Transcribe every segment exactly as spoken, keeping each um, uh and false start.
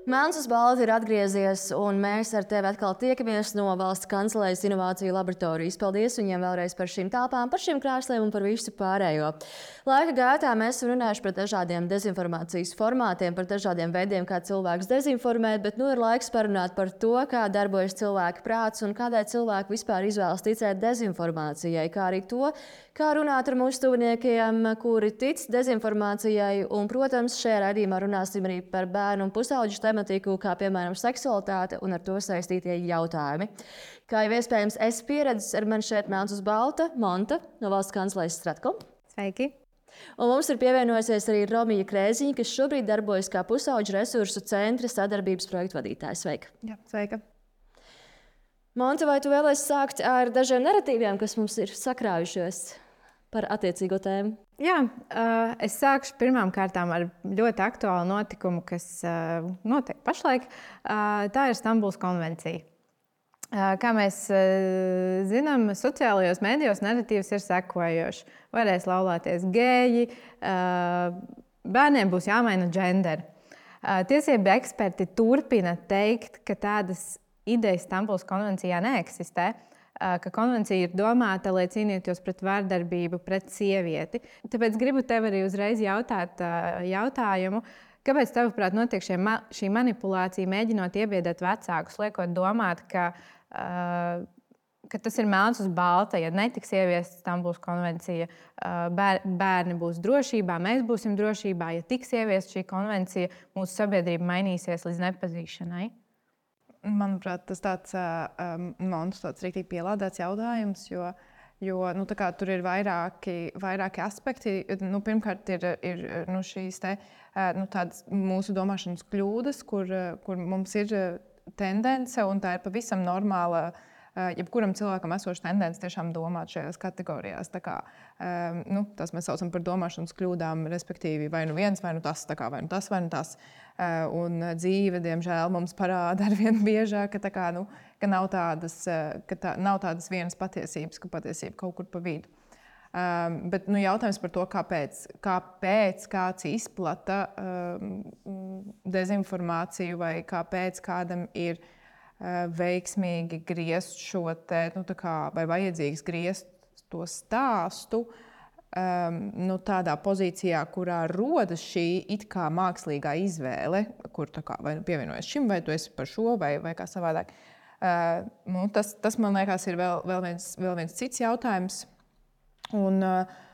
Melns uz balta ir atgriezies, un mēs ar tevi atkal tiekamies no Valsts kancelējas inovāciju laboratorijas. Paldies viņiem vēlreiz par šīm telpām, par šīm krāsliem un par visu pārējo. Laika gaitā mēs runājuši par dažādiem dezinformācijas formātiem, par dažādiem veidiem, kā cilvēks dezinformēt, bet nu ir laiks parunāt par to, kā darbojas cilvēka prāts un kādai cilvēki vispār izvēlas ticēt dezinformācijai, kā arī to, kā runāt ar mūsu tuviniekiem, kuri tic dezinformācijai. Un, protams, šajā raidījumā runāsim arī par bērnu un pusauģu tematiku, kā piemēram seksualitāte un ar to saistītie jautājumi. Kā jau iespējams, es pieredzes ar mani šeit Melns uz balta, Monta no Valsts kancelējas Stratkom. Sveiki! Un mums ir pievienojusies arī Romija Krēziņa, kas šobrīd darbojas kā pusauģu resursu centra sadarbības projektu vadītājs. Sveika! Jā, sveika! Monta, vai tu vēlēsi sākt ar dažiem narratīviem, kas mums ir sakrājušies par attiecīgo tēmu? Jā, uh, es sākšu pirmām kārtām ar ļoti aktuālu notikumu, kas uh, notiek pašlaik. Uh, tā ir Stambulas konvencija. Uh, kā mēs uh, zinām, sociālajos mēdījos narratīvs ir sekojošs. Varēs laulāties geji, uh, bērniem būs jāmaina genderi. Uh, tiesību eksperti turpina teikt, ka tādas idejas Stambulas konvencijā neeksistē, ka konvencija ir domāta, lai cīnītos pret vardarbību pret sievieti. Tāpēc gribu tev arī uzreiz jautāt jautājumu, kāpēc tavuprāt notiek šie, šī manipulācija, mēģinot iebiedēt vecākus, liekot domāt, ka, ka tas ir melns uz balta, ja netiks ieviesta Stambulas konvencija, bērni būs drošībā, mēs būsim drošībā, ja tiks ieviesta šī konvencija, mūsu sabiedrība mainīsies līdz nepazīšanai. Manuprāt, tas tāds um, Montu tāds rīktīgi pielādēts jautājums, jo, jo nu, tā kā, tur ir vairāki, vairāki aspekti. Nu, pirmkārt, ir, ir nu, šīs te, nu, tādas mūsu domāšanas kļūdas, kur, kur mums ir tendence, un tā ir pavisam normāla. Jebkuram cilvēkam esoša tendence tiešām domāt šajās kategorijās. Tā kā, um, nu, tas mēs saucam par domāšanas kļūdām, respektīvi vai nu viens, vai nu tas, tā kā, vai nu tas, vai nu tas. Uh, un dzīve, diemžēl, mums parāda arvien biežāk, ka, tā kā, nu, ka, nav tādas, ka tā, nav tādas vienas patiesības, ka patiesība kaut kur pa vidu. Um, bet nu, jautājums par to, kāpēc, kāpēc kāds izplata um, dezinformāciju vai kāpēc kādam ir veiksmīgi griezt šo te, nu, tā kā, vai vajadzīgs griezt to stāstu um, nu, tādā pozīcijā, kurā rodas šī it kā mākslīgā izvēle, kur tā kā vai nu pievienojas šim, vai tu esi par šo, vai, vai kā savādāk. Uh, nu, tas, tas, man liekas, ir vēl, vēl, viens, vēl viens cits jautājums. Un, uh,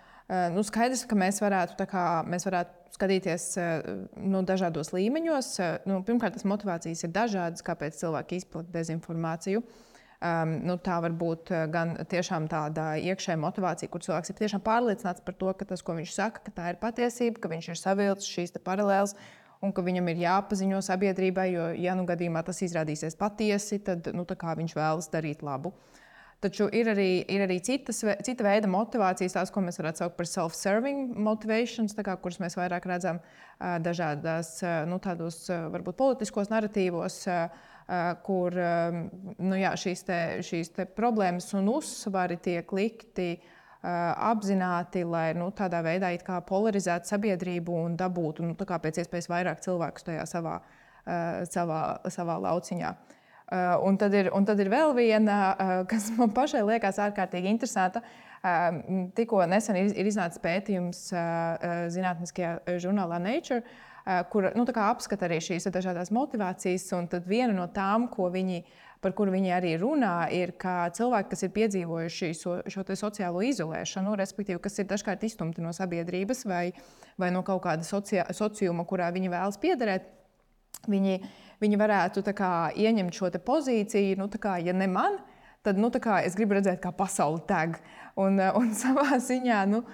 nu, skaidrs, ka mēs varētu, tā kā, mēs varētu skatīties nu, dažādos līmeņos. Nu, pirmkārt, tas motivācijas ir dažādas, kāpēc cilvēki izplata dezinformāciju. Um, nu, tā var būt gan tiešām tāda iekšēja motivācija, kur cilvēks ir tiešām pārliecināts par to, ka tas, ko viņš saka, ka tā ir patiesība, ka viņš ir savilcis šīs paralēles un ka viņam ir jāpaziņo sabiedrībai, jo, ja nu gadījumā tas izrādīsies patiesi, tad nu, tā kā viņš vēlas darīt labu. Taču ir arī, ir arī citas, cita veida motivācijas, tās, ko mēs varētu saukt par self-serving motivations, tā kā, kuras mēs vairāk redzam uh, dažādās, uh, nu, tādos, uh, varbūt politiskos narratīvos, uh, kur um, nu, jā, šīs, te, šīs te problēmas un uzsvari tiek likti uh, apzināti, lai nu, tādā veidā it kā polarizētu sabiedrību un dabūtu nu, tā kā pēc iespējas vairāk cilvēkus tajā savā, uh, savā, savā lauciņā. Uh, un, tad ir, un tad ir vēl viena, uh, kas man pašai liekas ārkārtīgi interesanta. Uh, tikko nesen ir, ir iznācis pētījums uh, zinātniskajā žurnālā Nature, uh, kur nu, tā kā apskata arī šīs dažādās motivācijas. Un tad viena no tām, ko viņi, par kuru viņi arī runā, ir, ka cilvēki, kas ir piedzīvojuši šo, šo sociālo izolēšanu, respektīvi, kas ir dažkārt izstumti no sabiedrības vai, vai no kaut kāda socia, sociuma, kurā viņi vēlas piederēt, viņi Viņi varētu tā kā, ieņemt šo pozīciju, nu, tā kā, ja ne man, tad nu, tā kā, es gribu redzēt, kā pasaule deg. Un, un savā ziņā, nu,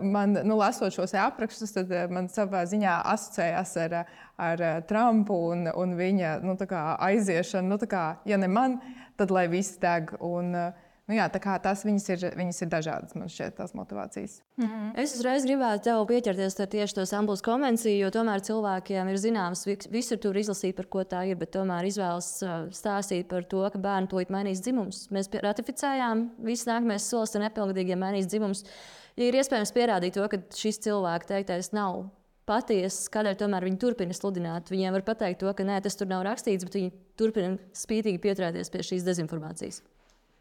man, nu, lasot šos aprakstus, tad man savā ziņā asociējās ar, ar Trumpu un, un viņa nu, tā kā, aiziešanu. Nu, tā kā, ja ne man, tad lai viss deg. Un, nu, jā, tā kā tās viņas ir, viņas ir dažādas, man šķiet, tās motivācijas. Mm-hmm. Es uzreiz gribētu tev pieķerties tieši to Stambulas konvenciju, jo tomēr cilvēkiem ir zināms, visur tur izlasīt, par ko tā ir, bet tomēr izvēlas stāstīt par to, ka bērni tūlīt mainīs dzimumus. Mēs ratificējām, viss nākamais solis ir nepilngadīgiem mainīs dzimumus. Ja ir iespējams pierādīt to, ka šis cilvēks teiktais nav patiesas, kādēļ tomēr viņi turpina sludināt. Viņiem var pateikt to, ka nē, tas tur nav rakstīts, bet viņi turpina spītīgi pieturēties pie šīs dezinformācijas.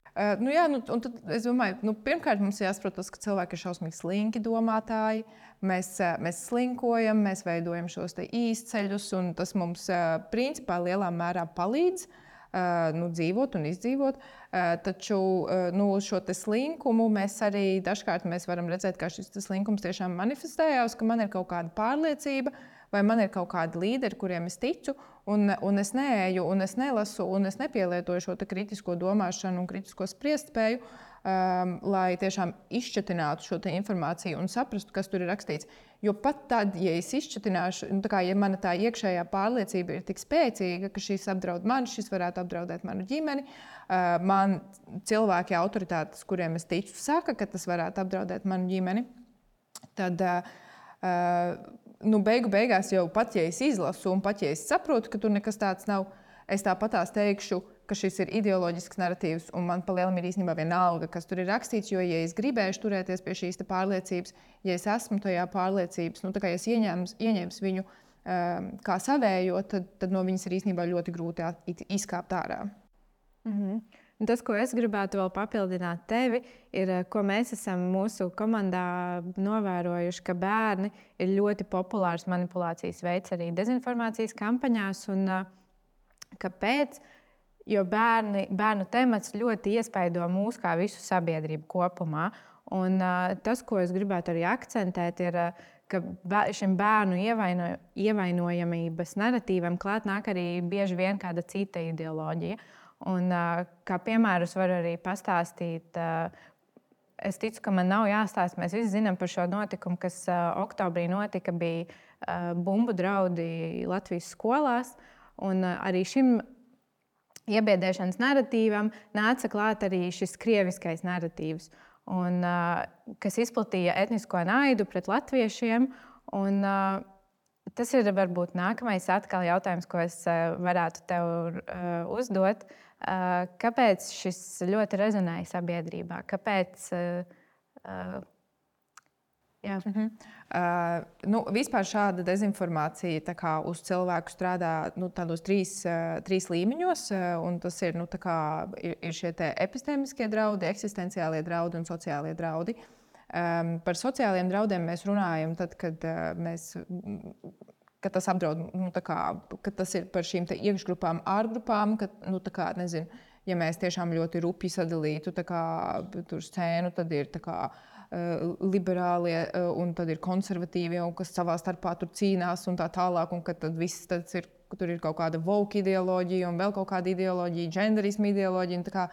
Uh, nu jā, nu, un tad es domāju, nu, pirmkārt mums jāsaprot tas, ka cilvēki ir šausmīgi slinki domātāji. Mēs, uh, mēs slinkojam, mēs veidojam šos īsceļus, un tas mums uh, principā lielā mērā palīdz uh, nu, dzīvot un izdzīvot. Uh, taču uh, nu, šo slinkumu mēs arī dažkārt mēs varam redzēt, ka šis slinkums tiešām manifestējās, ka man ir kaut kāda pārliecība, vai man ir kaut kādi līderi, kuriem es ticu, un, un es neeju, un es nelasu, un es nepielietoju šo kritisko domāšanu un kritisko spriestspēju, um, lai tiešām izšķetinātu šo informāciju un saprastu, kas tur ir rakstīts. Jo pat tad, ja es izšķetināšu, nu, tā kā, ja mana tā iekšējā pārliecība ir tik spēcīga, ka šis apdraud mani, šis varētu apdraudēt manu ģimeni, uh, man cilvēki, autoritātes, kuriem es ticu, saka, ka tas varētu apdraudēt manu ģimeni, tad uh, uh, Nu, beigu beigās jau pat, ja es izlasu un pat, ja es saprotu, ka tur nekas tāds nav, es tāpatās teikšu, ka šis ir ideoloģisks narratīvs un man palielam ir īstenībā vienalga, kas tur ir rakstīts, jo, ja es gribēšu turēties pie šīs pārliecības, ja es esmu tajā pārliecības, nu, tā kā es ieņems, ieņems viņu um, kā savējo, tad, tad no viņas ir īstenībā ļoti grūti izkāpt ārā. Mhm. Tas, ko es gribētu vēl papildināt tevi, ir, ko mēs esam mūsu komandā novērojuši, ka bērni ir ļoti populārs manipulācijas veids arī dezinformācijas kampaņās. Un, kāpēc? Jo bērni, bērnu temats ļoti iespaido mūs kā visu sabiedrību kopumā. Un, tas, ko es gribētu arī akcentēt, ir, ka šim bērnu ievaino, ievainojamības narratīvam klāt nāk arī bieži vien kāda cita ideoloģija. Un, kā piemērus var arī pastāstīt, es ticu, ka man nav jāstāsta, mēs visi zinām par šo notikumu, kas oktobrī notika, bija bumbu draudi Latvijas skolās. Un arī šim iebiedēšanas narratīvam nāca klāt arī šis krieviskais narratīvs, un, kas izplatīja etnisko naidu pret latviešiem. Un, tas ir varbūt nākamais atkal jautājums, ko es varētu tev uzdot. Kāpēc šis ļoti rezonēja sabiedrībā? Kāpēc? Uh, jā. Uh-huh. Uh, nu, vispār šāda dezinformācija tā kā uz cilvēku strādā nu, tādos trīs, uh, trīs līmeņos. Uh, un tas ir, nu, tā kā, ir, ir šie epistēmiskie draudi, eksistenciālie draudi un sociālie draudi. Um, par sociāliem draudiem mēs runājam tad, kad uh, mēs. Ka tas apdraud, nu, kā, ka tas ir par šīm iekšgrupām, ārgrupām, ka, nu, kā, nezinu, ja mēs tiešām ļoti rupji sadalītu kā, tur scēnu, tad ir kā, uh, liberālie uh, un tad ir konservatīvie, un kas savā starpā tur cīnās un tā tālāk, un ka tad viss tad ir, tur ir kaut kāda woke ideoloģija un vēl kaut kāda ideoloģija, genderisma ideoloģija, un tā kā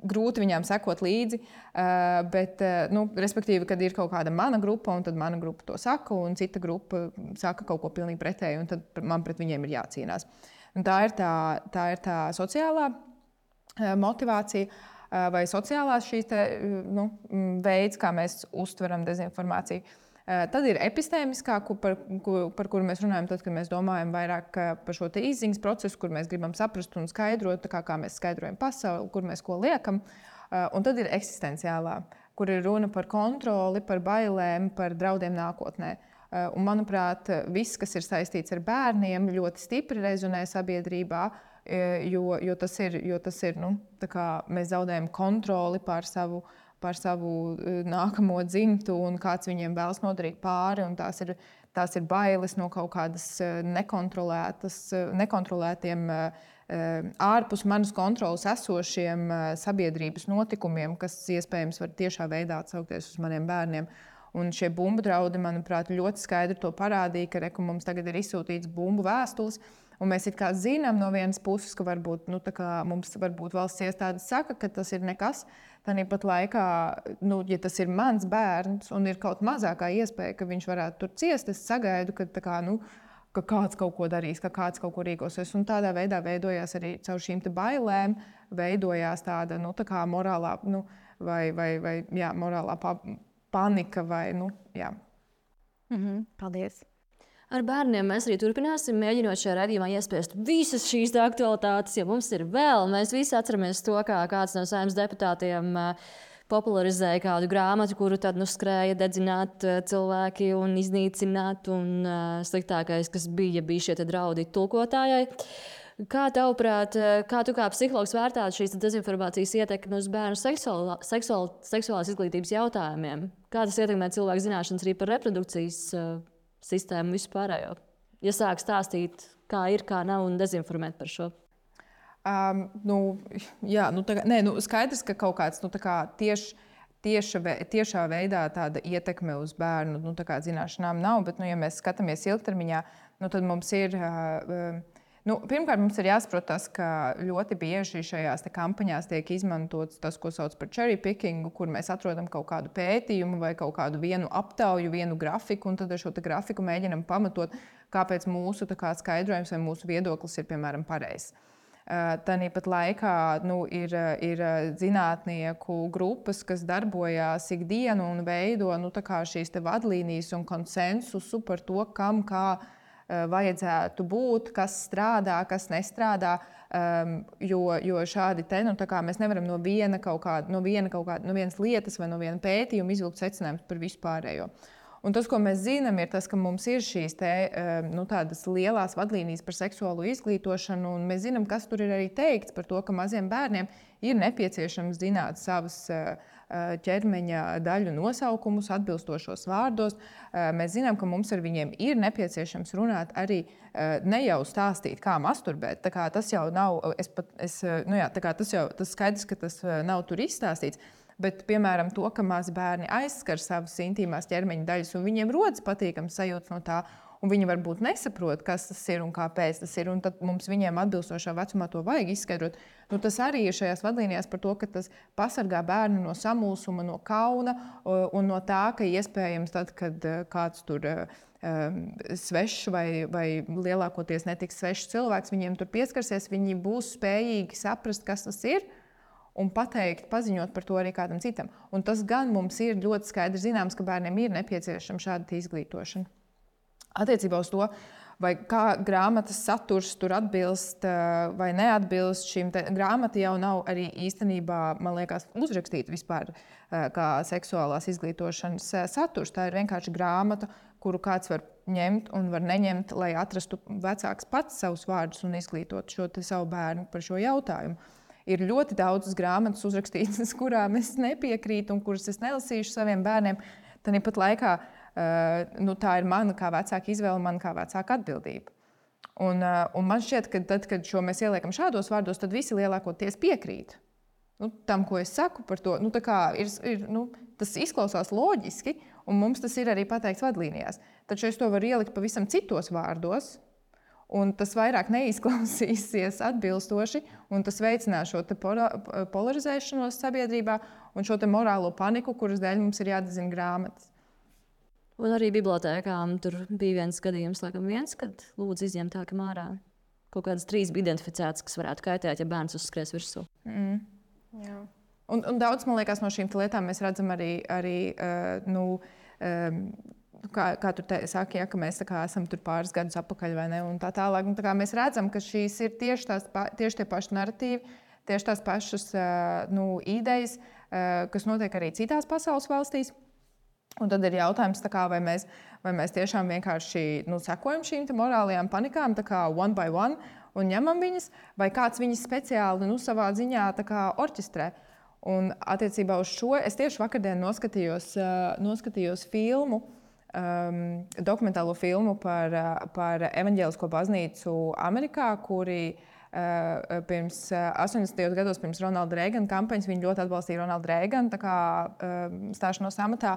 grūti viņām sekot līdzi, uh, bet, uh, nu, respektīvi, kad ir kaut kāda mana grupa, un tad mana grupa to saka, un cita grupa saka kaut ko pilnīgi pretēju, un tad man pret viņiem ir jācīnās. Un tā ir tā, tā ir tā sociālā uh, motivācija, uh, vai sociālās šīs te, uh, nu, veids, kā mēs uztveram dezinformāciju. Uh, tad ir epistēmiskā, par, par kuru mēs runājam, tad, kad mēs domājam vairāk par šo izziņas procesu, kur mēs gribam saprast un skaidrot, kā, kā mēs skaidrojam pasauli, kur mēs ko liekam. Uh, un tad ir eksistenciālā, kur ir runa par kontroli, par bailēm, par draudiem nākotnē. Uh, un, manuprāt, viss, kas ir saistīts ar bērniem, ļoti stipri rezonē sabiedrībā, jo, jo tas ir, jo tas ir nu, tā kā mēs zaudējam kontroli pār savu par savu nākamo dzimtu un kāds viņiem vēlas nodarīt pāri. Un tās ir, tās ir bailes no kaut kādas nekontrolētas, nekontrolētiem, ārpus manas kontrolas esošiem sabiedrības notikumiem, kas iespējams var tiešā veidā atsaukties uz maniem bērniem. Un šie bumbu draudi, manuprāt, ļoti skaidri to parādīja, ka reku mums tagad ir izsūtīts bumbu vēstules. Un mēs it kā zinām no vienas puses, ka varbūt, nu, tā kā mums varbūt valsts iestādes saka, ka tas ir nekas. Tāpat laikā, nu, ja tas ir mans bērns un ir kaut mazākā iespēja, ka viņš varētu tur ciest, es sagaidu, ka, kā, nu, ka kāds kaut ko darīs, ka kāds kaut ko rīkosies. Un tādā veidā veidojās arī caur šīm bailēm, veidojās tāda nu, tā kā morālā, nu, vai, vai, vai jā, morālā pa, panika. Vai, nu, jā. Mhm, paldies! Ar bērniem mēs arī turpināsim, mēģinot šajā raidījumā iespiest visas šīs aktualitātes, jo mums ir vēl. Mēs visi atceramies to, kā kāds no Saeimas deputātiem popularizēja kādu grāmatu, kuru tad nu, skrēja dedzināt cilvēki un iznīcināt. Un uh, sliktākais, kas bija, bija šie draudi tulkotājai. Kā tavuprāt, kā tu kā psihologs vērtātu šīs dezinformācijas ietekmi uz bērnu seksuālā, seksuāl, seksuālās izglītības jautājumiem? Kā tas ietekmē cilvēku zināšanas arī par reprodukcijas uh, sistēmu vispārējo? Ja sāk stāstīt, kā ir, kā nav un dezinformēt par šo. Um, nu, jā, nu, tā, nē, nu, skaidrs, ka kaut kāds nu, kā tieši, tieša, tiešā veidā tāda ietekme uz bērnu nu, zināšanām nav, bet, nu, ja mēs skatāmies ilgtermiņā, nu, tad mums ir, uh, nu, pirmkārt, mums ir jāsaprot tas, ka ļoti bieži šajās kampaņās tiek izmantots tas, ko sauc par cherry picking, kur mēs atrodam kaut kādu pētījumu vai kaut kādu vienu aptauju, vienu grafiku, un tad ar šo grafiku mēģinam pamatot, kāpēc mūsu kā, skaidrojums vai mūsu viedoklis ir, piemēram, pareizs. Tāpat laikā nu, ir, ir zinātnieku grupas, kas darbojās ikdienu un veido nu, šīs vadlīnijas un konsensusu par to, kam kā vajadzētu būt, kas strādā, kas nestrādā. Um, jo, jo šādi te, nu, mēs nevaram no, viena kaut kāda, no, viena kaut kāda, no vienas lietas vai no viena pētījuma izvilkt secinājumus par vispārējo. Un tas, ko mēs zinām, ir tas, ka mums ir šīs te, nu, tādas lielās vadlīnijas par seksuālo izglītošanu, un mēs zinām, kas tur ir arī teikts par to, ka maziem bērniem ir nepieciešams zināt savas ķermeņa daļu nosaukumus atbilstošos vārdos. Mēs zinām, ka mums ar viņiem ir nepieciešams runāt arī ne jau stāstīt, kā masturbēt. Tā kā tas jau nav, es pat, es, nu jā, tā kā tas jau tas skaidrs, ka tas nav tur izstāstīts. Bet, piemēram, to, ka mazi bērni aizskar savas intīmās ķermeņa daļas, un viņiem rodas patīkams sajūta no tā, un viņi varbūt nesaprot, kas tas ir un kāpēc tas ir, un tad mums viņiem atbilstošā vecumā to vajag izskaidrot. Nu, tas arī ir šajās vadlīnijās par to, ka tas pasargā bērnu no samulsuma, no kauna un no tā, ka iespējams tad, kad kāds tur um, svešs vai, vai lielākoties netiks svešs cilvēks, viņiem tur pieskarsies, viņi būs spējīgi saprast, kas tas ir, un pateikt, paziņot par to arī kādam citam. Un tas gan mums ir ļoti skaidri zināms, ka bērniem ir nepieciešama šāda izglītošana. Attiecībā uz to, vai kā grāmatas saturs tur atbilst vai neatbilst šīm te, grāmata jau nav arī īstenībā, man liekas, uzrakstīta vispār kā seksuālās izglītošanas saturs. Tā ir vienkārši grāmata, kuru kāds var ņemt un var neņemt, lai atrastu vecāks pats savus vārdus un izglītot šo te savu bērnu par šo jautājumu. Ir ļoti daudzas grāmatas uzrakstītas, kurām es nepiekrītu un kuras es nelasīšu saviem bērniem. Tāpat laikā uh, nu, tā ir mana kā vecāka izvēle, mana kā vecāka atbildība. Un, uh, un man šķiet, ka tad, kad šo mēs ieliekam šādos vārdos, tad visi lielākoties piekrīt nu, tam, ko es saku par to. Nu, tā kā ir, ir, nu, tas izklausās loģiski, un mums tas ir arī pateikts vadlīnijās. Taču es to varu ielikt pavisam citos vārdos, un tas vairāk neizklausīsies atbilstoši, un tas veicinās šo te polarizēšanos sabiedrībā un šo te morālo paniku, kuras dēļ mums ir jādezina grāmatas. Un arī bibliotēkām tur bija viens gadījums, laikam viens, kad lūdzu izņemt tā, ka mārā kaut kādas trīs bija identificētas, kas varētu kaitēt, ja bērns uzskries virsū. Mm. Jā. Un, un daudz, man liekas, no šīm lietām mēs redzam arī, arī uh, nu, um, Kā, kā tur te, saka, ja, ka mēs kā, esam tur pāris gadus atpakaļ vai ne, un tā tālāk. Un tā kā mēs redzam, ka šīs ir tieši, tās, tieši tie paši narratīvi, tieši tās pašas nu, idejas, kas notiek arī citās pasaules valstīs. Un tad ir jautājums, kā, vai, mēs, vai mēs tiešām vienkārši nu, sekojam šīm morālajām panikām, tā kā one by one, un ņemam viņas, vai kāds viņas speciāli nu, savā ziņā tā kā orķestrē. Un attiecībā uz šo es tieši vakardien noskatījos, noskatījos filmu, Um, dokumentālo filmu par, par evaņģēlisko baznīcu Amerikā, kuri uh, pirms astoņdesmitajos gados, pirms Ronalda Reigana kampaņas, viņi ļoti atbalstīja Ronaldu Reiganu tā kā uh, stāšanos amatā,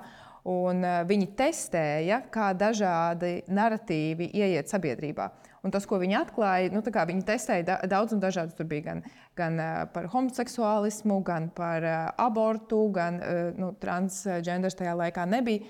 un uh, viņi testēja, kā dažādi naratīvi ieiet sabiedrībā. Un tas, ko viņi atklāja, nu, viņi testēja daudz un dažādus. Tur bija gan, gan par homoseksuālismu, gan par abortu, gan nu, transgenders tajā laikā nebija.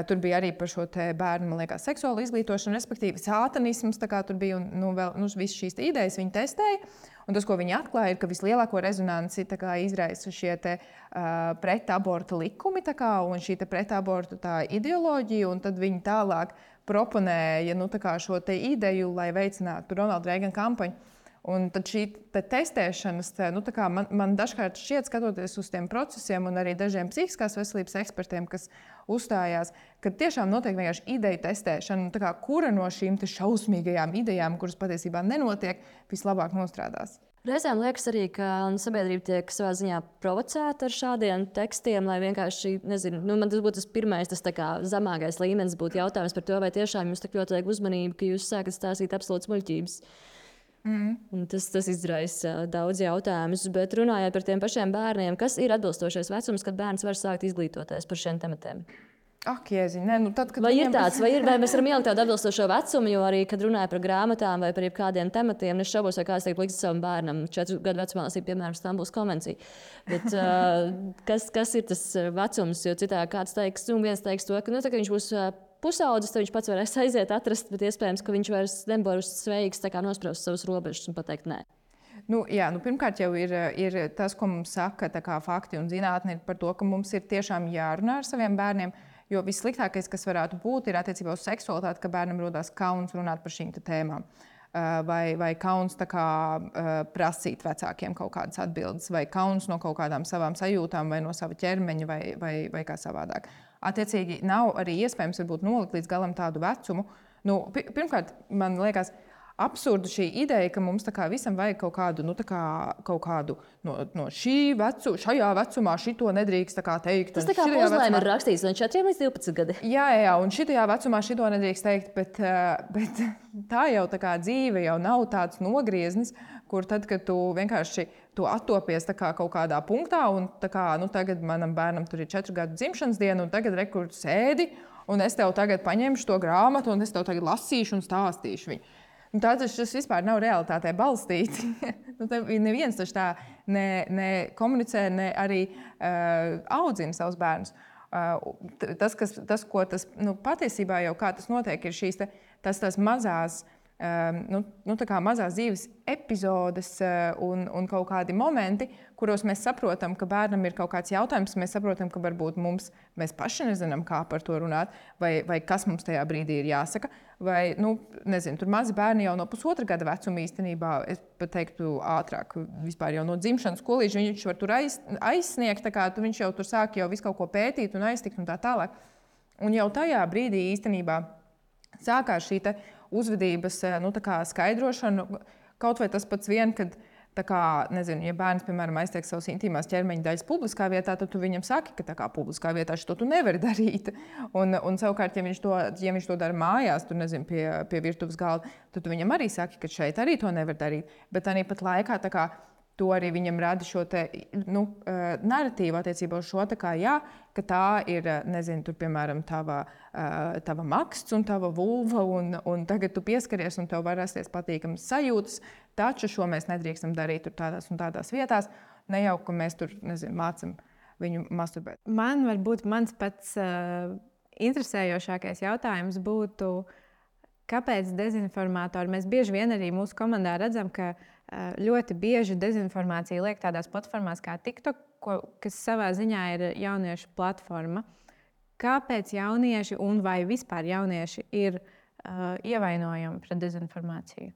Tur bija arī par šo bērnu, man liekas, seksuālu izglītošanu, respektīvi sātanisms. Tur bija un, nu, vēl, nu, visas šīs idejas viņi testēja. Un tas, ko viņi atklāja, ir, ka vislielāko rezonanci kā, izraisa šie te, uh, pretaborta likumi kā, un šī pretaborta tā ideoloģija. Un tad viņi tālāk proponēja nu, šo ideju, lai veicinātu Ronalda Reigana kampaņu. Un tad šī te testēšanas, te, nu, man, man dažkārt šķiet, skatoties uz tiem procesiem, un arī dažiem psihiskās veselības ekspertiem, kas uzstājās, ka tiešām notiek vienkārši ideju testēšana, kā, kura no šīm šausmīgajām idejām, kuras patiesībā nenotiek, vislabāk nostrādās. Reizēm liekas arī, ka sabiedrība tiek savā ziņā provocēta ar šādiem tekstiem, lai vienkārši, nezinu, nu, man tas būtu tas pirmais, tas tā kā zemākais līmenis būtu jautājums par to, vai tiešām jums tik ļoti vajag uzmanību, ka jūs sākat stāstīt absolūtas muļķības. Mm. Tas, tas izraisa daudz jautājumus, bet runājot par tiem pašiem bērniem, kas ir atbilstošais vecums, kad bērns var sākt izglītoties par šiem tematiem? Ak, jēziņ, ne, nu tad, vai ir tāds, vai, ir, vai mēs varam ielikt tādu atbilstošo vecumu, jo arī, kad runāja par grāmatām vai par kādiem tematiem, es šaubos, vai kāds teikt, likt savam bērnam četru gadu vecumā lasīt, piemēram, Stambulas konvenciju. Bet, uh, kas, kas ir tas vecums, jo citā kāds teiks, un viens teiks to, ka, nu, tā, ka viņš būs pusaudzis, tad viņš pats varēs aiziet atrast, bet iespējams, ka viņš vairs nebūs sveiks nospraust savus robežas un pateikt nē. Nu, jā, nu, pirmkārt, jau ir, ir tas, ko mums saka kā, fakti un zinātne par to, ka mums ir tiešām jārunā ar saviem bērniem. Jo vissliktākais, kas varētu būt, ir attiecībā uz seksualitāti, ka bērnam rodas kauns runāt par šīm tēmām. Vai, vai kauns kā, prasīt vecākiem kaut kādas atbildes, vai kauns no kaut kādām savām sajūtām, vai no sava ķermeņa, vai, vai, vai kā savādāk. Attiecīgi, nav arī iespējams varbūt, nolikt līdz galam tādu vecumu. Nu, pirmkārt, man liekas, absurda šī ideja, ka mums kā, visam vajag kaut kādu, nu, kā, kaut kādu no, no šī vecu, šajā vecumā šito nedrīkst kā, teikt. Tas tā kā puzlēm vecumā... ir rakstīts no četriem līdz divpadsmit gadi. Jā, jā, un šitajā vecumā šito nedrīkst teikt, bet, bet tā jau tā kā dzīve jau nav tāds nogrieznis, kur tad, kad tu vienkārši tu attopies kā, kaut kādā punktā, un tā kā, nu, tagad manam bērnam tur ir četru gadu dzimšanas diena, un tagad rekur sēdi, un es tev tagad paņemšu to grāmatu, un es tev tagad lasīšu un stāstīšu viņu. Tātad tas vispār nav realitātē balstīts. nu, neviens taču tā ne, ne komunicē, ne arī uh, audzina savus bērnus. Uh, tas, kas, tas, ko tas nu, patiesībā jau kā tas notiek, ir šīs te, tas, tās mazās, um, nu, nu, tā kā mazās dzīves epizodes uh, un, un kaut kādi momenti, kuros mēs saprotam, ka bērnam ir kaut kāds jautājums, mēs saprotam, ka varbūt mums, mēs paši nezinām, kā par to runāt, vai, vai kas mums tajā brīdī ir jāsaka. Vai, nu, nezinu, tur mazi bērni jau no pusotra gada vecuma īstenībā, es pat teiktu ātrāk, vispār jau no dzimšanas skolīša, viņš var tur aiz, aizsniegt, tā kā viņš jau tur sāk jau visu kaut ko pētīt un aiztikt un tā tālāk. Un jau tajā brīdī īstenībā sākās šī te uzvedības nu, tā kā skaidrošana, kaut vai tas pats vien, kad tā kā, nezinu, ja bērns, piemēram, aiztiek savas intīmās ķermeņa daļas publiskā vietā, tad tu viņam saki, ka tā kā publiskā vietā šo tu nevari darīt. Un, un savukārt, ja viņš to, ja viņš to dara mājās, tur, nezinu, pie, pie virtuves galda, tad tu viņam arī saki, ka šeit arī to nevar darīt. Bet arī pat laikā tā kā to arī viņam rada šo te, nu, narratīvu attiecībā uz šo, tā kā, jā, ka tā ir, nezinu, tur, piemēram, tava, tava maksts un tava vulva, un, un tagad tu pieskaries un tev var rasties patīkamas sajūtas, taču šo mēs nedrīkstam darīt tur tādās un tādās vietās, ne jau, ka mēs tur, nezinu, mācam viņu masturbēt. Man varbūt mans pats uh, interesējošākais jautājums būtu, kāpēc dezinformātori, mēs bieži vien arī mūsu komandā redzam, ka ļoti bieži dezinformācija liek tādās platformās kā TikTok, ko, kas savā ziņā ir jauniešu platforma. Kāpēc jaunieši un vai vispār jaunieši ir uh, ievainojami pret dezinformāciju?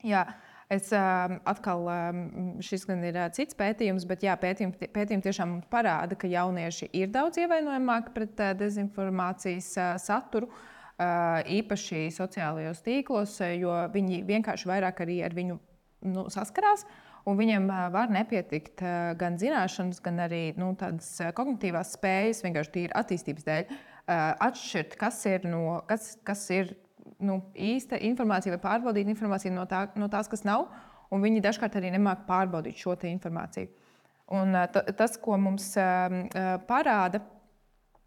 Jā, es uh, atkal, um, šis gan ir uh, cits pētījums, bet jā, pētījumi, pētījumi tiešām parāda, ka jaunieši ir daudz ievainojamāki pret uh, dezinformācijas uh, saturu, uh, īpaši sociālajos tīklos, uh, jo viņi vienkārši vairāk arī ar viņu nu, saskarās, un viņiem var nepietikt gan zināšanas, gan arī nu, tādas kognitīvās spējas, vienkārši tīri attīstības dēļ, atšķirt, kas ir, no, kas, kas ir nu, īsta informācija vai pārbaudīt informāciju no, tā, no tās, kas nav, un viņi dažkārt arī nemāk pārbaudīt šo te informāciju. Un t- tas, ko mums parāda,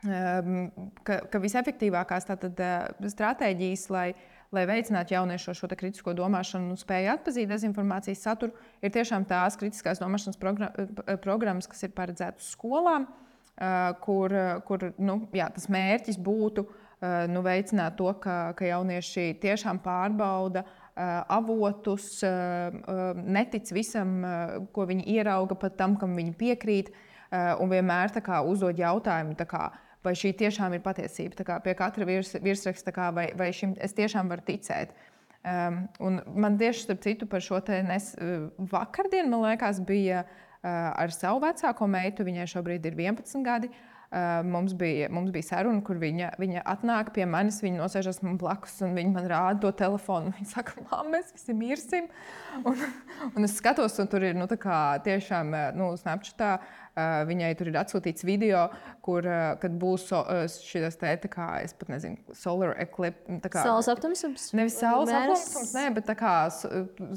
ka, ka visefektīvākās tātad stratēģijas, lai lai veicinātu jauniešu šo kritisko domāšanu un spēju atpazīt dezinformācijas saturu, ir tiešām tās kritiskās domāšanas programmas, kas ir paredzētas skolām, kur, kur nu, jā, tas mērķis būtu nu, veicināt to, ka, ka jaunieši tiešām pārbauda avotus, netic visam, ko viņi ierauga, pat tam, kam viņi piekrīt, un vienmēr tā kā, uzdod jautājumu, tā kā, vai šī tiešām ir patiesība, tā kā pie katra virs, virsraksta, kā, vai, vai šim es tiešām varu ticēt. Um, un man tieši starp citu par šo te nes, vakardien, man liekas, bija uh, ar savu vecāko meitu, viņai šobrīd ir vienpadsmit gadi. Uh, mums, bija, mums bija saruna, kur viņa, viņa atnāk pie manis, viņa nosēžas man blakus un viņa man rāda to telefonu. Viņa saka, mām, mēs visi mirsim. Un, un es skatos, un tur ir nu, tā kā tiešām nu, Snapchatā. Uh, viņai tur ir atsūtīts video, kur uh, kad būs so, uh, šis te, tā kā, es pat nezinu, solar eclipse. Saules aptumsums? Nevis saules aptumsums, ne, bet tā kā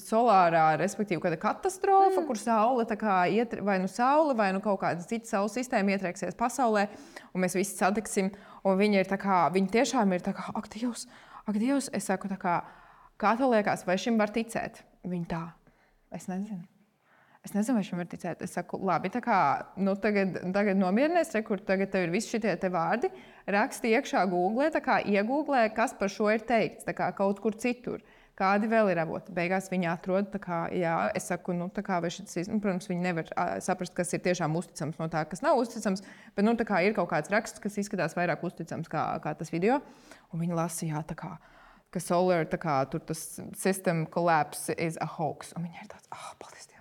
solārā, respektīvi, kāda katastrofa, mm. kur saule tā kā iet, vai nu saule, vai nu kaut kāda cita saules sistēma ietrieksies pasaulē, un mēs visi satiksim, un viņi ir tā kā, viņi tiešām ir tā kā, ak, Dievs, ak, Dievs, es saku tā kā, kā tev liekas, vai šim var ticēt? Viņi tā, es nezinu. Es nezinu, vai šim var ticēt. Es saku, labi, tā kā, nu, tagad, tagad nomierinies, re, kur tagad tev ir visi šitie te vārdi, raksti iekšā Google, tā kā iegooglē, kas par šo ir teikts, tā kā kaut kur citur. Kādi vēl ir avoti? Beigās viņi atrod, tā kā, jā, es saku, nu, tā kā, vai šis, nu, protams, viņi nevar uh, saprast, kas ir tiešām uzticams no tā, kas nav uzticams, bet, nu, tā kā ir kaut kāds raksts, kas izskatās vairāk uzticams kā, kā tas video, un viņi lasa, jā, tā kā, ka solar, tā kā, tur tas system collapse is a hoax, un viņi ir tāds, ah, oh, paldies Dievam.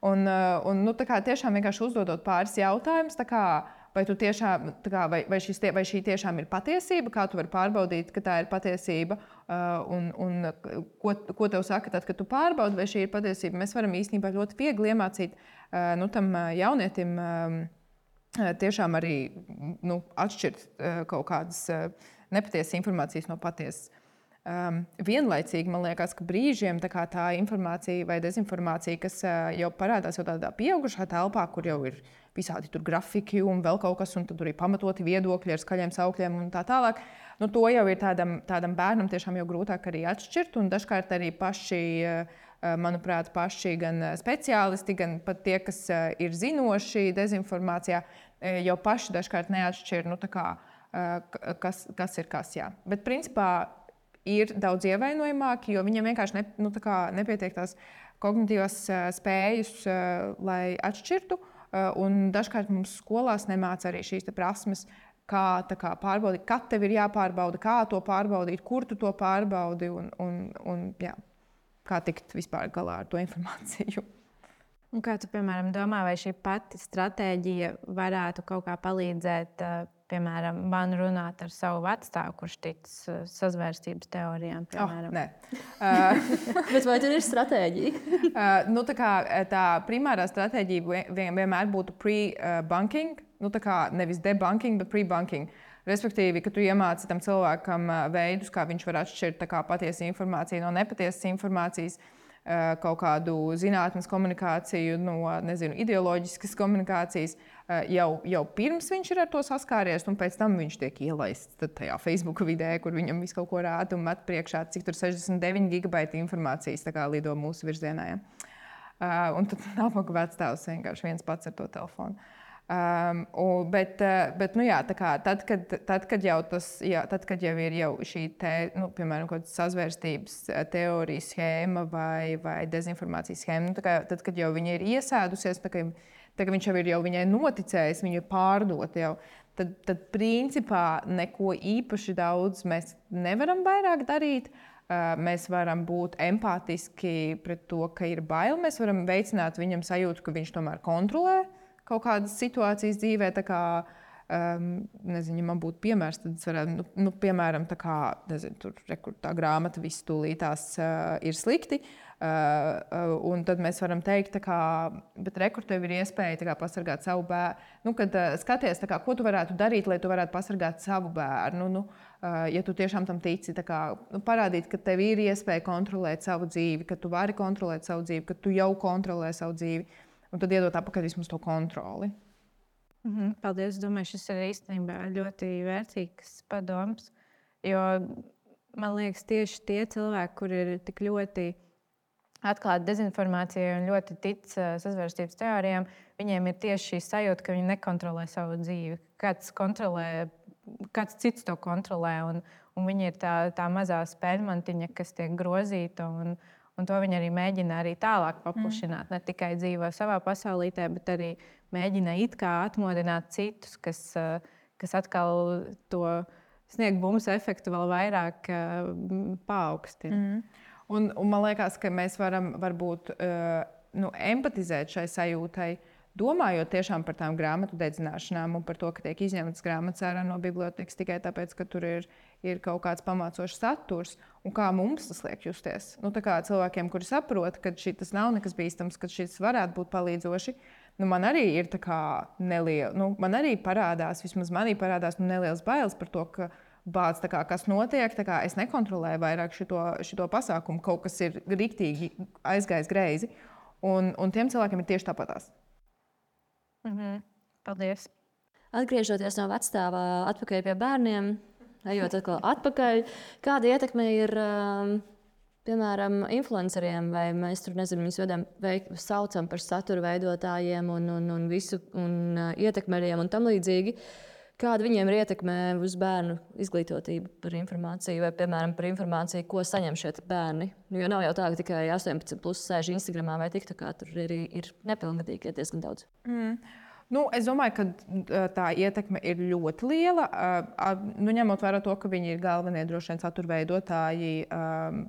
Un, un nu, tā kā tiešām vienkārši uzdodot pāris jautājumus, tā kā, vai, tu tiešām, tā kā, vai, vai, šis, vai šī tiešām ir patiesība, kā tu vari pārbaudīt, ka tā ir patiesība, un, un ko, ko tev saka tad, kad tu pārbaudi, vai šī ir patiesība. Mēs varam īstenībā ļoti viegli iemācīt nu, tam jaunietim tiešām arī nu, atšķirt kaut kādas nepatiesas informācijas no patiesas. Um, vienlaicīgi man liekas, ka brīžiem tā, tā informācija vai dezinformācija, kas uh, jau parādās jau tādā pieaugušā telpā, kur jau ir visādi tur grafiki un vēl kaut kas, un tad tur ir pamatoti viedokļi ar skaļiem saukļiem un tā tālāk. Nu, to jau ir tādam, tādam bērnam tiešām jau grūtāk arī atšķirt, un dažkārt arī paši, uh, manuprāt, paši gan speciālisti, gan pat tie, kas uh, ir zinoši dezinformācijā, uh, jau paši dažkārt neatšķir, nu, tā kā, uh, kas, kas ir kas, jā. Bet principā ir daudz ievainojamāki, jo viņiem vienkārši ne, nu, tā kā nepietiek tās kognitīvās uh, spējas, uh, lai atšķirtu. Uh, un dažkārt mums skolās nemāca arī šīs prasmes, kā, kā pārbaudīt, kad tev ir jāpārbauda, kā to pārbaudīt, kur tu to pārbaudi un, un, un jā, kā tikt vispār galā ar to informāciju. Un kā tu, piemēram, domā, vai šī pati stratēģija varētu kaut kā palīdzēt, piemēram, man runāt ar savu vecstāvu, kurš tic sazvērstības teorijām? Piemēram? Oh, nē. uh, Bet vai tur ir stratēģija? uh, nu, tā, kā, tā primārā stratēģija vien, vienmēr būtu pre-bunking, nu, tā kā nevis debunking, bet pre-bunking. Respektīvi, ka tu iemāci tam cilvēkam veidus, kā viņš var atšķirt kā patiesu informāciju no nepatiesas informācijas, kaut kādu zinātnes komunikāciju no, nezinu, ideoloģiskas komunikācijas, jau, jau pirms viņš ir ar to saskāries, un pēc tam viņš tiek ielaists tajā Facebook vidē, kur viņam visu kaut ko rāda un met priekšā, cik tur sešdesmit deviņi gigabaiti informācijas tā kā lido mūsu virzienā. Ja? Uh, un tad nabaga vecstāvs vienkārši viens pats ar to telefonu. Um, un, bet, bet nu jā, tā kā, tad, kad, tad, kad jau tas, jā, tad, kad jau ir jau šī te, nu, piemēram, kaut kāda sazvērstības teorija schēma vai, vai dezinformācijas schēma, nu, tā kā, tad, kad jau viņa ir iesēdusies, tā kā, tā kā viņš jau ir jau viņai noticējis, viņa ir pārdota jau, tad, tad principā neko īpaši daudz mēs nevaram vairāk darīt. Uh, mēs varam būt empātiski pret to, ka ir bail. Mēs varam veicināt viņam sajūtu, ka viņš tomēr kontrolē kaut kādas situācijas dzīvē, tā kā, um, nezinu, ja man būtu piemērs, tad es varētu, nu, nu piemēram, tā kā, nezinu, tur, rekur, tā grāmata viss tūlītās uh, ir slikti, uh, uh, un tad mēs varam teikt, tā kā, bet rekur tev ir iespēja tā kā pasargāt savu bērnu, nu, kad uh, skaties, tā kā, ko tu varētu darīt, lai tu varētu pasargāt savu bērnu, nu, uh, ja tu tiešām tam tici, tā kā, nu, parādīt, ka tev ir iespēja kontrolēt savu dzīvi, ka tu vari kontrolēt savu dzīvi, ka tu jau kontrolē savu dzīvi. Un tad iedot atpakaļ vismaz to kontroli. Mm-hmm, paldies. Es domāju, šis ir īstenībā ļoti vērtīgs padoms. Jo man liekas, tieši tie cilvēki, kuri ir tik ļoti atklāti dezinformācijai un ļoti tic sazvērstības teorijām, viņiem ir tieši šī sajūta, ka viņi nekontrolē savu dzīvi. Kāds, kontrolē, kāds cits to kontrolē. Un, un viņi ir tā, tā mazā spēļmantiņa, kas tiek grozīta. Un, Un to viņi arī mēģina arī tālāk paplašināt. Mm. Ne tikai dzīvo savā pasaulītē, bet arī mēģina it kā atmodināt citus, kas, kas atkal to sniegt bumbu efektu vēl vairāk paaugstina. Mm. Un, un man liekas, ka mēs varam varbūt uh, nu, empatizēt šai sajūtai, domājot tiešām par tām grāmatu dedzināšanām un par to, ka tiek izņemtas grāmatas ārā no bibliotekas tikai tāpēc, ka tur ir, ir kaut kāds pamācošs saturs, un kā mums tas liek justies. Nu, tā kā cilvēkiem, kuri saprot, ka šis nav nekas bīstams, ka šis varētu būt palīdzoši, nu, man arī ir tā kā neliela, nu, man arī parādās, vismaz manī parādās nu, nelielas bailes par to, ka bāc, kā, kas notiek, kā es nekontrolēju vairāk šito, šito pasākumu, kaut kas ir riktīgi aizgājis greizi, un, un tiem cilvēkiem ir tieši tāpatās. Mhm. Paldies. Atgriežoties no vecstāvā atpakaļ pie bērniem, ejot atkal atpakaļ, kāda ietekme ir, piemēram, influenceriem, vai mēs tur, nezinu, viņus vedam, veik, saucam par satura veidotājiem un, un, un visu, un ietekmeļiem un tam līdzīgi. Kāda viņiem ir ietekme uz bērnu izglītotību par informāciju, vai, piemēram, par informāciju, ko saņem šie bērni? Jo nav jau tā, ka tikai astoņpadsmit plus sēž Instagramā vai TikTokā, tur arī ir nepilngadīgi diezgan daudz. Mm. Nu, es domāju, ka tā ietekme ir ļoti liela. Nu, ņemot vērā to, ka viņi ir galvenie droši vien satura veidotāji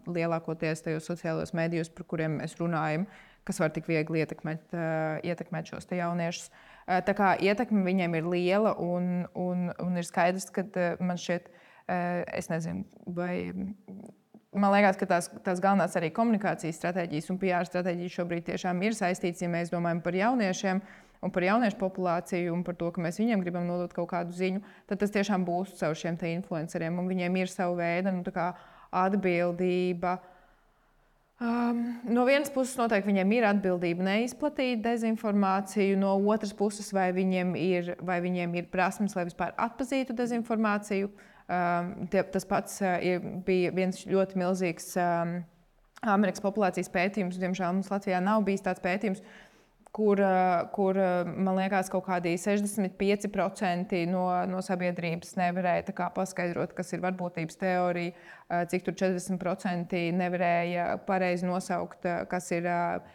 lielākoties tajos sociālajos mēdījos, par kuriem mēs runājam, kas var tik viegli ietekmēt, ietekmēt šos jauniešus. Tā kā ietekme viņiem ir liela un, un, un ir skaidrs, ka man šķiet, es nezinu, vai man liekas, ka tās, tās galvenās arī komunikācijas stratēģijas un P R stratēģijas šobrīd tiešām ir saistītas, ja mēs domājam par jauniešiem un par jauniešu populāciju un par to, ka mēs viņiem gribam nodot kaut kādu ziņu, tad tas tiešām būs caur šiem te influenceriem un viņiem ir sava veida nu, tā kā atbildība. Um, no vienas puses, noteikti viņiem ir atbildība neizplatīt dezinformāciju, no otras puses, vai viņiem ir, vai viņiem ir prasmes, lai vispār atpazītu dezinformāciju. Um, tie, tas pats uh, bija viens ļoti milzīgs um, Amerikas populācijas pētījums. Diemžēl mums Latvijā nav bijis tāds pētījums, kur, uh, kur uh, man liekas, kaut kādi sešdesmit pieci procenti no, no sabiedrības nevarēja kā, paskaidrot, kas ir varbūtības teorija, uh, cik tur četrdesmit procenti nevarēja pareizi nosaukt, uh, kas ir uh,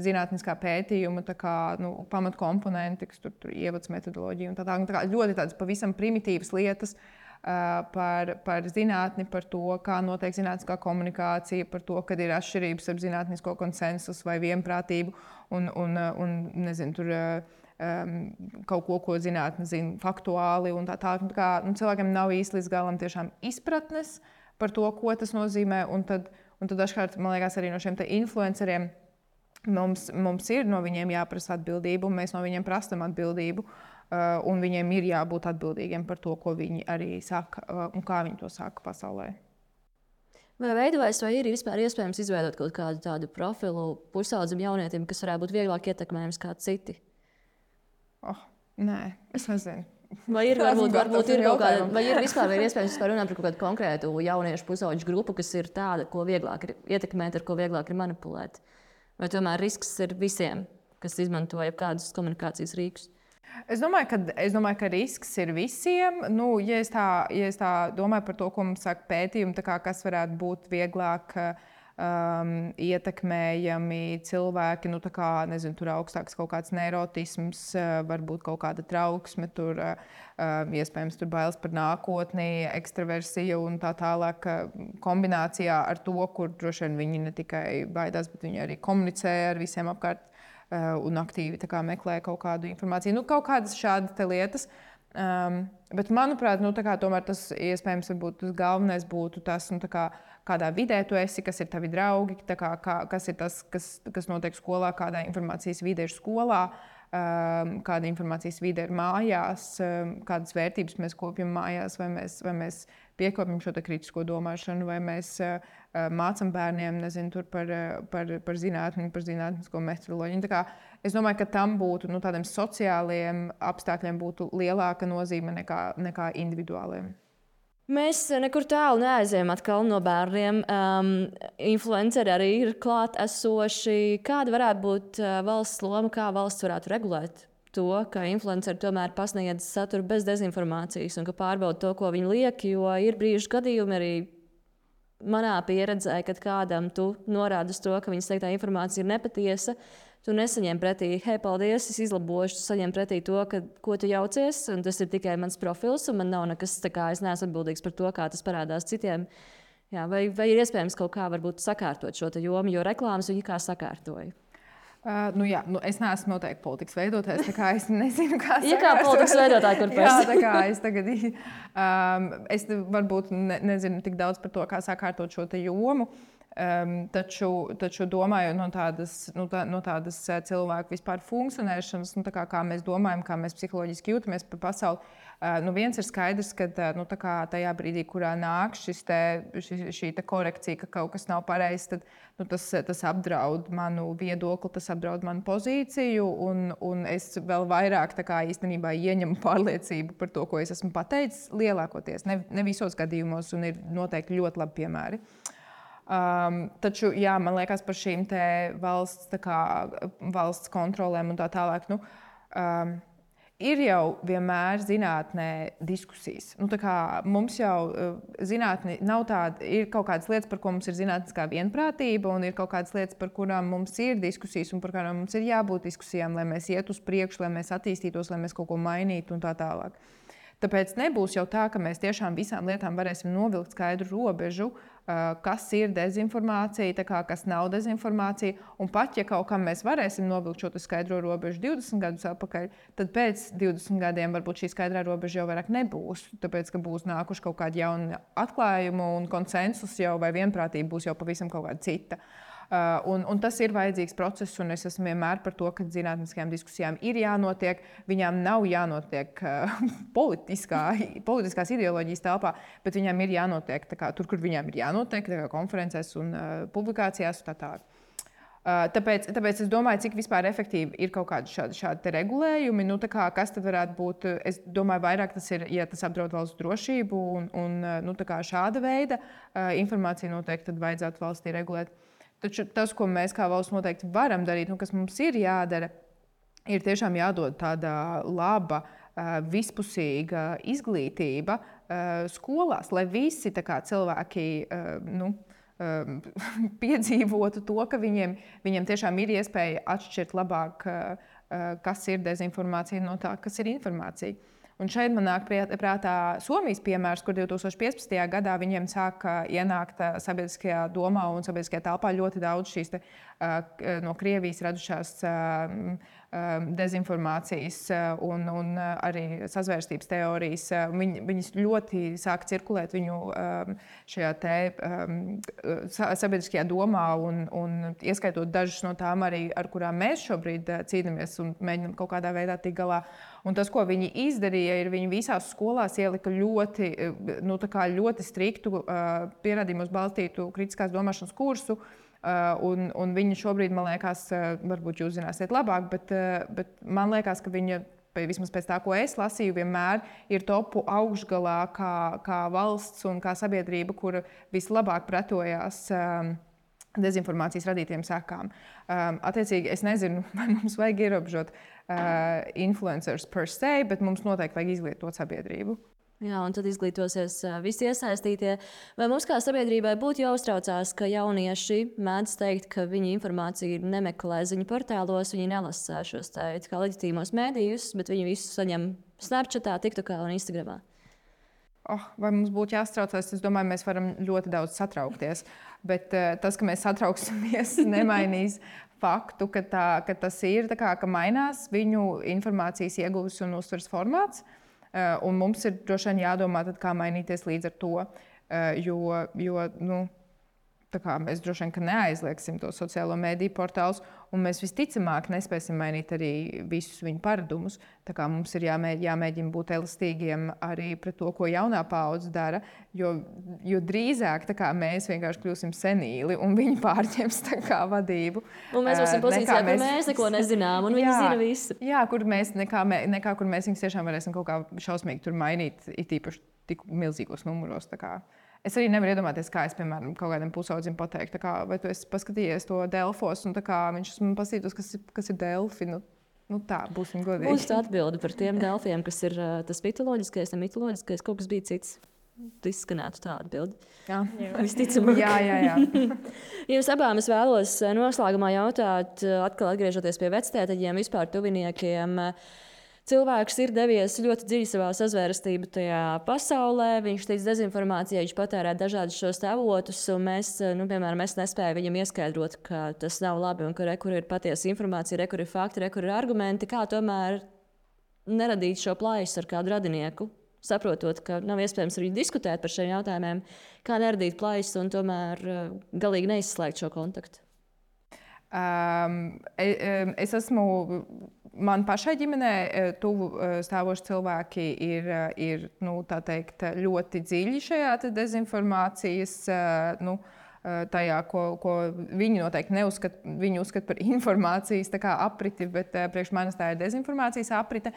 zinātniskā pētījuma kā, nu, pamatkomponenti, kas tur, tur ievads metodoloģija un tā tā. Tā kā ļoti tādas pavisam primitīvas lietas uh, par, par zinātni, par to, kā notiek zinātniskā komunikācija, par to, kad ir atšķirības ar zinātnisko konsensusu vai vienprātību un, un, un nezinu, tur um, kaut ko, ko zinātne zina faktuāli un tā tā. tā kā, nu, cilvēkiem nav īsti līdz galam tiešām izpratnes par to, ko tas nozīmē, un tad, un tad dažkārt, man liekas, arī no šiem te influenceriem Mums, mums ir no viņiem jāprasa atbildība, un mēs no viņiem prasām atbildību. Uh, un viņiem ir jābūt atbildīgiem par to, ko viņi arī saka uh, un kā viņi to saka pasaulē. Vai veidojas, vai ir vispār iespējams izveidot kaut kādu tādu profilu pusaudzim jaunietim, kas varētu būt vieglāk ietekmējams kā citi? Oh, nē, es nezinu. Vai ir, varbūt, varbūt ir kaut kāda, vai ir vispār vai ir iespējams vispār runāt par kaut kādu konkrētu jauniešu pusauģu grupu, kas ir tāda, ko vieglāk ir ietekmēt, ar ko vieglāk ir manipulēt? Vai tomēr risks ir visiem, kas izmanto jebkādus komunikācijas rīkus? Es domāju, ka, es domāju, ka risks ir visiem. Nu, ja, es tā, ja es tā domāju par to, ko mums saka pētījumi, kā, kas varētu būt vieglāk um, ietekmējami cilvēki, nu, tā kā, nezinu, tur augstāks kaut kāds neirotisms, varbūt kaut kāda trauksme, tur, um, iespējams, tur bailes par nākotni, ekstraversija un tā tālāk kombinācijā ar to, kur droši vien viņi ne tikai baidās, bet viņi arī komunicē ar visiem apkārt. Un aktīvi kā, meklē kaut kādu informāciju. Nu, kaut kādas šādas lietas. Um, bet, manuprāt, nu, kā, tomēr tas iespējams tas galvenais būtu tas, nu, kā, kādā vidē tu esi, kas ir tavi draugi, kā, kā, kas ir tas, kas, kas notiek skolā, kādā informācijas vidē ir skolā, um, kāda informācijas vide ir mājās, um, kādas vērtības mēs kopjam mājās, vai mēs, vai mēs piekopjam šo kritisko domāšanu, vai mēs uh, mācām bērniem nezinu, par, par, par zinātni, par zinātnisko metodoloģiju. Tā kā es domāju, ka tam būtu nu, tādiem sociāliem apstākļiem būtu lielāka nozīme nekā, nekā individuāliem. Mēs nekur tālu neaizējām atkal no bērniem. Um, influenceri arī ir klāt esoši. Kāda varētu būt uh, valsts loma, kā valsts varētu regulēt to, ka influenceri tomēr pasniedz saturu bez dezinformācijas un ka pārbauda to, ko viņi liek, jo ir brīži gadījumi arī manā pieredzē, kad kādam tu norādi uz to, ka viņas teiktā informācija ir nepatiesa, tu nesaņem pretī, hei, paldies, es izlabošu, tu saņem pretī to, ka, ko tu jaucies, un tas ir tikai mans profils, un man nav nekas, tā kā es neesmu atbildīgs par to, kā tas parādās citiem. Jā, vai, vai ir iespējams kaut kā varbūt sakārtot šo jomu, jo reklāmas viņi kā sakārtoja? Uh, nu jā, nu es neesmu noteikti politikas veidotājs, tā kā es nezinu, kā sakārtot. Ja kā politikas veidotāji, kur pēc? Jā, tā kā es tagad, um, es varbūt ne, nezinu tik daudz par to, kā sakārtot šo jomu. Um, taču, taču domājot no tādas, no tā, no tādas cilvēku vispār funkcionēšanas, nu, kā, kā mēs domājam, kā mēs psiholoģiski jūtamies par pasauli, uh, nu, viens ir skaidrs, ka nu, tajā brīdī, kurā nāk šis te, šī, šī te korekcija, ka kaut kas nav pareizs, tad nu, tas, tas apdraud manu viedokli, tas apdraud manu pozīciju, un, un es vēl vairāk kā, īstenībā ieņemu pārliecību par to, ko es esmu pateicis, lielākoties, ne, ne visos gadījumos, un ir noteikti ļoti labi piemēri. Um, taču, jā, man liekas, par šīm valsts, kā, valsts kontrolēm un tā tālāk, nu, um, ir jau vienmēr zinātnē diskusijas. Nu, tā kā mums jau zinātnē nav tāda, ir kaut kādas lietas, par ko mums ir zinātniskā vienprātība, un ir kaut kādas lietas, par kurām mums ir diskusijas, un par kurām mums ir jābūt diskusijām, lai mēs iet uz priekšu, lai mēs attīstītos, lai mēs kaut ko mainītu un tā tālāk. Tāpēc nebūs jau tā, ka mēs tiešām visām lietām varēsim novilkt skaidru robežu, kas ir dezinformācija, kā, kas nav dezinformācija. Un pat ja kaut kam mēs varēsim novilkt šo skaidro robežu divdesmit gadus atpakaļ, tad pēc divdesmit gadiem varbūt šī skaidrā robeža jau vairāk nebūs. Tāpēc, ka būs nākuši kaut kādi jauni atklājumi un konsensus jau vai vienprātība būs jau pavisam kaut kāda cita. Uh, un, un tas ir vajadzīgs process, un es esmu vienmēr par to, ka zinātniskajām diskusijām ir jānotiek. Viņām nav jānotiek uh, politiskā, politiskās ideoloģijas telpā, bet viņām ir jānotiek kā, tur, kur viņām ir jānotiek, kā konferencēs un uh, publikācijās. Un tā tā. Uh, tāpēc, tāpēc es domāju, cik vispār efektīvi ir kaut kādi šādi, šādi regulējumi. Nu, kā, kas tad varētu būt? Es domāju, vairāk tas ir, ja tas apdraud valsts drošību, un, un nu, šāda veida uh, informāciju noteikti tad vajadzētu valstī regulēt. Taču tas, ko mēs kā valsts noteikti varam darīt, nu, kas mums ir jādara, ir tiešām jādod tāda laba, vispusīga izglītība skolās, lai visi kā, cilvēki nu, piedzīvotu to, ka viņiem, viņiem tiešām ir iespēja atšķirt labāk, kas ir dezinformācija no tā, kas ir informācija. Un šeit man nāk prātā Somijas piemērs, kur divtūkstoš piecpadsmitajā gadā viņiem sāka ienākt sabiedriskajā domā un sabiedriskajā telpā ļoti daudz šīs te, no Krievijas radušās dezinformācijas un, un arī sazvērstības teorijas. Viņ, viņas ļoti sāka cirkulēt viņu šajā te, sabiedriskajā domā un, un ieskaitot dažas no tām arī, ar kurām mēs šobrīd cīnāmies un mēģinām kaut kādā veidā tikt galā. Un tas, ko viņi izdarīja, ir viņi visās skolās ielika ļoti, nu, ļoti striktu, uh, pierādījumos balstītu kritiskās domāšanas kursu. Uh, un, un viņi šobrīd, man liekas, uh, varbūt jūs zināsiet labāk, bet, uh, bet man liekas, ka viņa, vismaz pēc tā, ko es lasīju, vienmēr ir topu augšgalā kā, kā valsts un kā sabiedrība, kura vislabāk pretojās um, dezinformācijas radītiem sekām. Um, attiecīgi, es nezinu, vai mums vajag ierobežot uh, influencers per se, bet mums noteikti vajag izglītot sabiedrību. Jā, un tad izglītosies visi iesaistītie. Vai mums kā sabiedrībai būtu jāuztraucās, ka jaunieši mēdz teikt, ka viņi informāciju nemeklē ziņu portālos, viņi nelasa šos teikt, kā leģitīmos mēdījus, bet viņi visu saņem Snapchatā, TikTokā un Instagramā? Oh, vai mums būtu jāstraucās? Es domāju, mēs varam ļoti daudz satraukties. Bet uh, tas, ka mēs satrauksimies, nemainīs faktu, ka, tā, ka tas ir, kā, ka mainās viņu informācijas ieguves un uztveres formāts. Uh, un mums ir droši vien jādomā, tad, kā mainīties līdz ar to. Uh, jo, jo nu, kā, mēs droši vien neaizliegsim to sociālo mediju portālus, un mēs visticamāk nespēsim mainīt arī visus viņu paradumus. Tā kā mums ir jāmēģina, jāmēģina būt elastīgiem arī pret to, ko jaunā paudze dara, jo, jo drīzāk kā, mēs vienkārši kļūsim senīli un viņi pārņems kā, vadību. Un mēs būsim pozīcijā, mēs... kur mēs neko nezinām, un viņi jā, zina visu. Jā, kur mēs, nekā, nekā, kur mēs viņus tiešām varēsim kaut kā šausmīgi tur mainīt, it īpaši tik milzīgos numuros. Es arī nevaru iedomāties, kā es, piemēram, kaut kādam pusaudzim pateiktu, kā, vai tu esi paskatījies to Delfos, un kā, viņš man pasītos, kas, kas ir Delfi. Nu, nu tā, būsim godīgi. Būs tā atbilde par tiem Delfiem, kas ir uh, tas mitoloģiskais, ne mitoloģiskais, kaut kas bija cits. Tu izskanētu tā atbildi. Jā, visticamāk. jā, jā, jā. Jums abām es vēlos noslēgumā jautāt, atkal atgriežoties pie vectētiņiem, vispār tuviniekiem. cilvēks ir devies ļoti dziļi savā sazvērestību tajā pasaulē. Viņš tic dezinformācijai, viņš patērē dažādus šos avotus, un mēs, nu, piemēram, es nespēju viņam ieskaidrot, ka tas nav labi un ka re, kur ir patiesa informācija, re, kur ir fakti, re, kur ir argumenti, kā tomēr neradīt šo plaisu ar kādu radinieku. Saprotot, ka nav iespējams arī diskutēt par šiem jautājumiem, kā neradīt plaisu un tomēr uh, galīgi neizslēgt šo kontaktu. Um, es esmu, man pašai ģimenē tuvu stāvoši cilvēki ir, ir nu, tā teikt, ļoti dziļi šajā dezinformācijas, nu, tajā, ko, ko viņi noteikti neuzskata, viņi uzskata par informācijas tā kā apriti, bet priekš manis tā ir dezinformācijas aprite.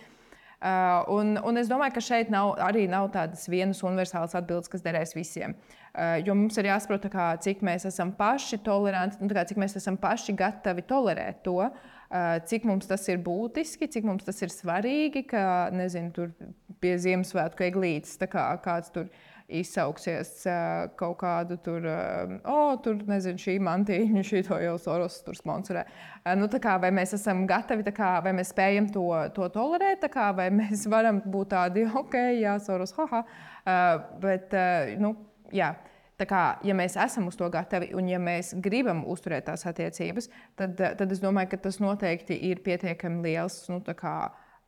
Uh, un, un es domāju, ka šeit nav, arī nav tādas vienas universālas atbildes, kas derēs visiem. Uh, jo mums ir jāsaprot, kā, cik mēs esam paši toleranti, nu, kā, cik mēs esam paši gatavi tolerēt to, uh, cik mums tas ir būtiski, cik mums tas ir svarīgi, ka, nezinu, tur pie Ziemassvētku eglītes tā kā kāds tur izsauksies uh, kaut kādu tur, uh, oh, tur, nezinu, šī mantīņa, šī to jau Soros tur sponsorē. Uh, nu, tā kā, vai mēs esam gatavi, tā kā, vai mēs spējam to, to tolerēt, tā kā, vai mēs varam būt tādi, ok, jā, Soros, haha. Uh, bet, uh, nu, jā, tā kā, ja mēs esam uz to gatavi un ja mēs gribam uzturēt tās attiecības, tad, tad es domāju, ka tas noteikti ir pietiekami liels, nu, tā kā,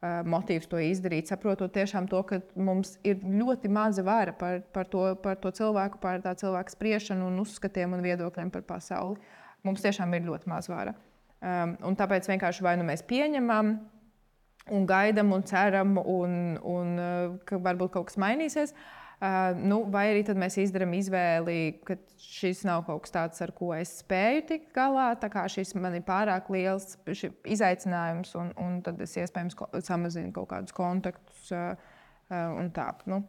motīvs to izdarīt, saprotot tiešām to, ka mums ir ļoti maza vara par, par, to, par to cilvēku, par tā cilvēka spriešanu un uzskatiem un viedokļiem par pasauli. Mums tiešām ir ļoti maza vara. Um, un tāpēc vienkārši vai nu mēs pieņemam un gaidam un ceram, un, un ka varbūt kaut kas mainīsies, uh, nu, vai arī tad mēs izdarām izvēli, ka šis nav kaut kas tāds, ar ko es spēju tikt galā, tā kā šis man ir pārāk liels izaicinājums, un, un tad es iespējams samazinu kaut kādus kontaktus uh, uh, un tā. Nu.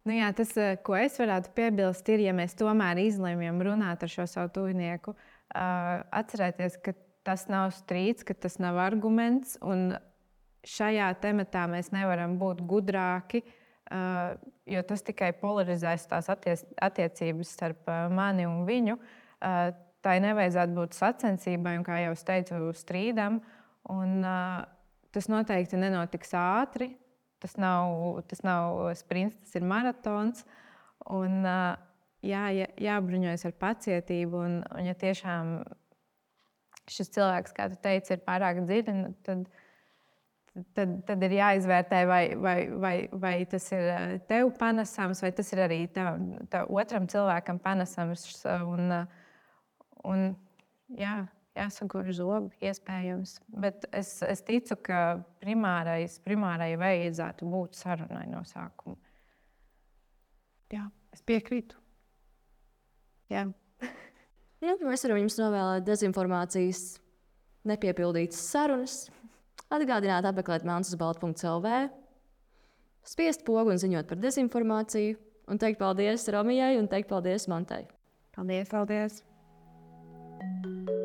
Nu jā, tas, ko es varētu piebilst, ir, ja mēs tomēr izlemjam runāt ar šo savu tuvinieku, uh, atcerēties, ka tas nav strīds, ka tas nav arguments, un šajā tematā mēs nevaram būt gudrāki, Uh, jo tas tikai polarizēs tās attiec attiecības starp uh, mani un viņu. Uh, tai nevajadzētu būt sacensībai un, kā jau es teicu, strīdam. Un, uh, tas noteikti nenotiks ātri. Tas nav, tas nav sprints, tas ir maratons. Un, uh, jā, jā, jābruņojas ar pacietību. Un, un ja tiešām šis cilvēks, kā tu teici, ir pārāk dziļi, tad Tad, tad ir jāizvērtē, vai, vai, vai, vai tas ir tev panesams, vai tas ir arī tev, tev otram cilvēkam panesams. Un, un, jā, jāsagur zobi, iespējams. Bet es, es ticu, ka primārais, primārai vajadzētu būt sarunai no sākuma. Jā, es piekrītu. Jā. Jā, mēs varam jums novēlēt dezinformācijas nepiepildītas sarunas. Atgādināt, apmeklēt melns uz baltu punktu el vē, spiest pogu un ziņot par dezinformāciju, un teikt paldies Romijai un teikt paldies Mantai. Paldies, paldies! Thank you.